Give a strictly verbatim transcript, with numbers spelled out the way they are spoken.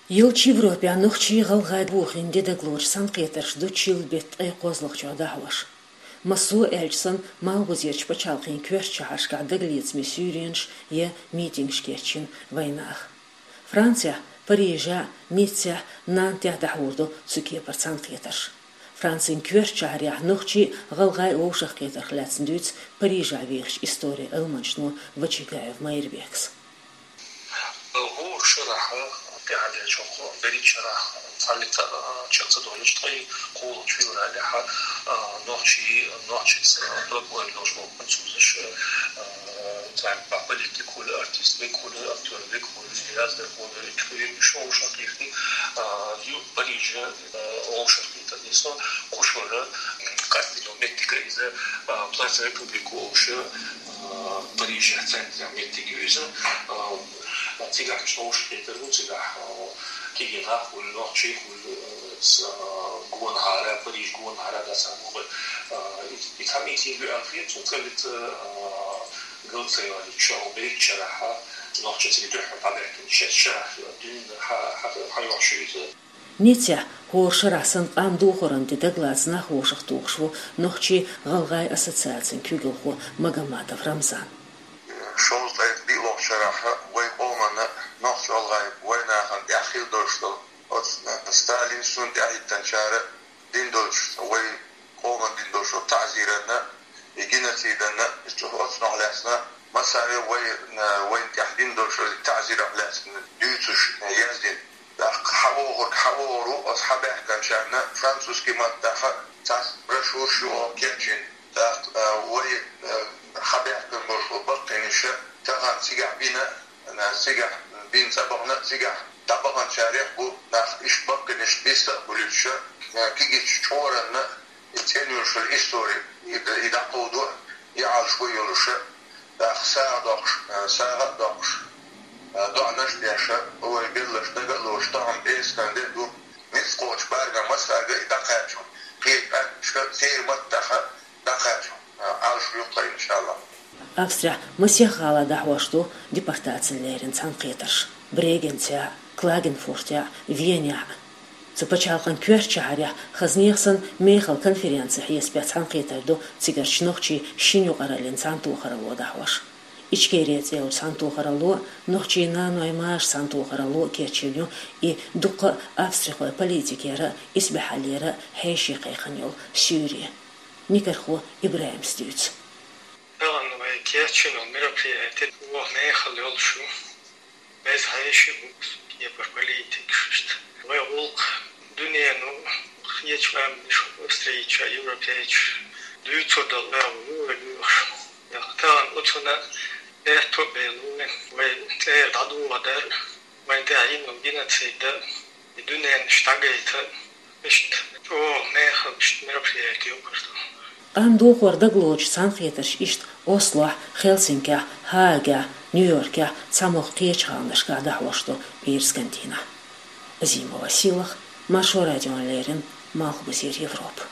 Йолчу Европехь нохчий-гӀалгӀай бохийна де дагалоцу цхьаьнакхетарш ду чиллан беттан ткъе кхозлагӀчохь дӀахьош. Массо а аьлча санна, Малхбузерчу пачхьалкхийн коьртачу шахьаршкахь дагалецаме суьйренаш я митингаш кечйина вайнах. Францехь, Парижехь, Ниццехь, Нантехь дӀахьур ду цу кепара цхьаьнакхетарш. Францин коьртачу шахьарехь нохчий а, гӀалгӀай а вовшахкхетарх лаьцна дуьйцу Парижехь вехачу историн Ӏилманчо Вачагаев Майрбека. ХӀора шарахь тӀаьхьарчу берхӀитта шарахь цхьаллица чекх ца долуш, ткъе кхоалгӀачу февралехь нохчий, нохчашца дог ойла йолуш болу французаш, цхьа политик хуьлу, артист векхуьлу, актер векхуьлу, яздархо векхуьлу, уьш вовшахкхетта, ю Париже вовшахкхетар нисо, кху шарахь къастийна меттиг иза, Плац Републик олуш, Парижехь центрехь меттиг ю иза. Цигахь уьш вовшахкхетар ву, цигахь кегий нах хуьлу, нохчий хуьлу, гонахьара, Париж гонахьара дацахь боху. И цхьа митинг ю аьлла хета, цунна кӀелица галат ца йолуьйтуш, берхӀитта шарахь нохчий цига дуьххьара дӀабаьхкина, шесть шарахь дуьйна хьа-, хьа-, хьайохьуш ю иза. Ниццехь хӀора шарахь санна къам дохоран де дагалаца нах вовшахтухуш ву Нохчий-гӀалгӀай ассоциацин куьйгалхо Магомадов Рамзан. Шовзткъе диълагӀчу шарахь вай къоманна, нохч-гӀалгӀай вайнахана тӀехь хир долуш долу оцу Сталин, цунна тӀаьхьахӀиттинчара дина долчу, вай къоманна дина долчу таӀзиранна, и геноциданна, оцунах лаьцна массаьрга вай, вайна тӀехь дина долчу таӀзирах лаьцна дуьйцуш яздина. ТӀаккха хьавогӀург хьавогӀур ву, оцу хьабаьхкинчарна французский маттахь цхьа брошюраш ю оха кечйина. ТӀаккха, а, вай, а, хьабаьхкина болуш болу баккхийнаш тахана цигахь бина, а, цигахь бина цӀа бахана, цигахь дӀабаханчарех бу нах, иштта баккхийнаш биста а хуьлуьйтуш, а, кегийчу чкъоранна и цӀена йолуш йолу истори, и д-, и дӀакховдо, и Ӏалашо йолуш, тӀаккха сагӀа доккхуш, а, сагӀа а доккхуш, а, доӀанаш а деш, вай белларш дага а лоцуш, тахана пӀераскан де а ду, ницкъ кхочу бӀаьргана массаьрга и дӀакхачо, кхечу къаьмнашка церан маттахь дӀакхачо, а, Ӏалашо ю тхан, иншаллахӀ. Австрехь масех гӀала дӀахьош ду депортацина леррина цхьаьнакхетарш: Брегенцехь, Клагенфуртехь, Венехь. Цу пачхьалкхан коьртачу шахьарехь хазанех санна мехала конференци хьесапехь цхьаьнакхетар ду цигарчу нохчийн шина юкъараллин цхьаьнатохаралло дӀахьош. Ичкери цӀе йолчу цхьаьнатохаралло а, нохчийн наной-машин цхьаьнатохаралло а кечйина ю и дуккха а австрихойн политикера а, исбаьхьаллера а хьеший кхайкхина йолу суьйре. Никархо ИбрахӀима дуьйцу. Тахана вай кечйина мероприяти чӀогӀа мехала йолуш ю. Беза хьеший бу, кепара политикаш иштта. Вай гӀуллакх дуьненан кхечу къаьмнашка, австрийча, европейча дуьйцур долу агӀо ю вай лоьхуш. Тахана оцунна аьтто а белла вай, вай цӀера дӀадохадар, вайн тӀехь йина геноцид а, и дуьненаш дӀагайта, иштта чӀогӀа мехала иштта мероприяти ю кхузахь. Къам дохор дагалоцуш цхьаьнакхетарш иштта Ослохь, Хельсинкехь, Гаагехь, Нью-Йоркехь, цхьамогӀа кхечу гӀаланашкахь дӀахьош ду пӀераскан дийнахь. Азимова Сийлаха, Маршо радиона леррина, Малхбузера Европа.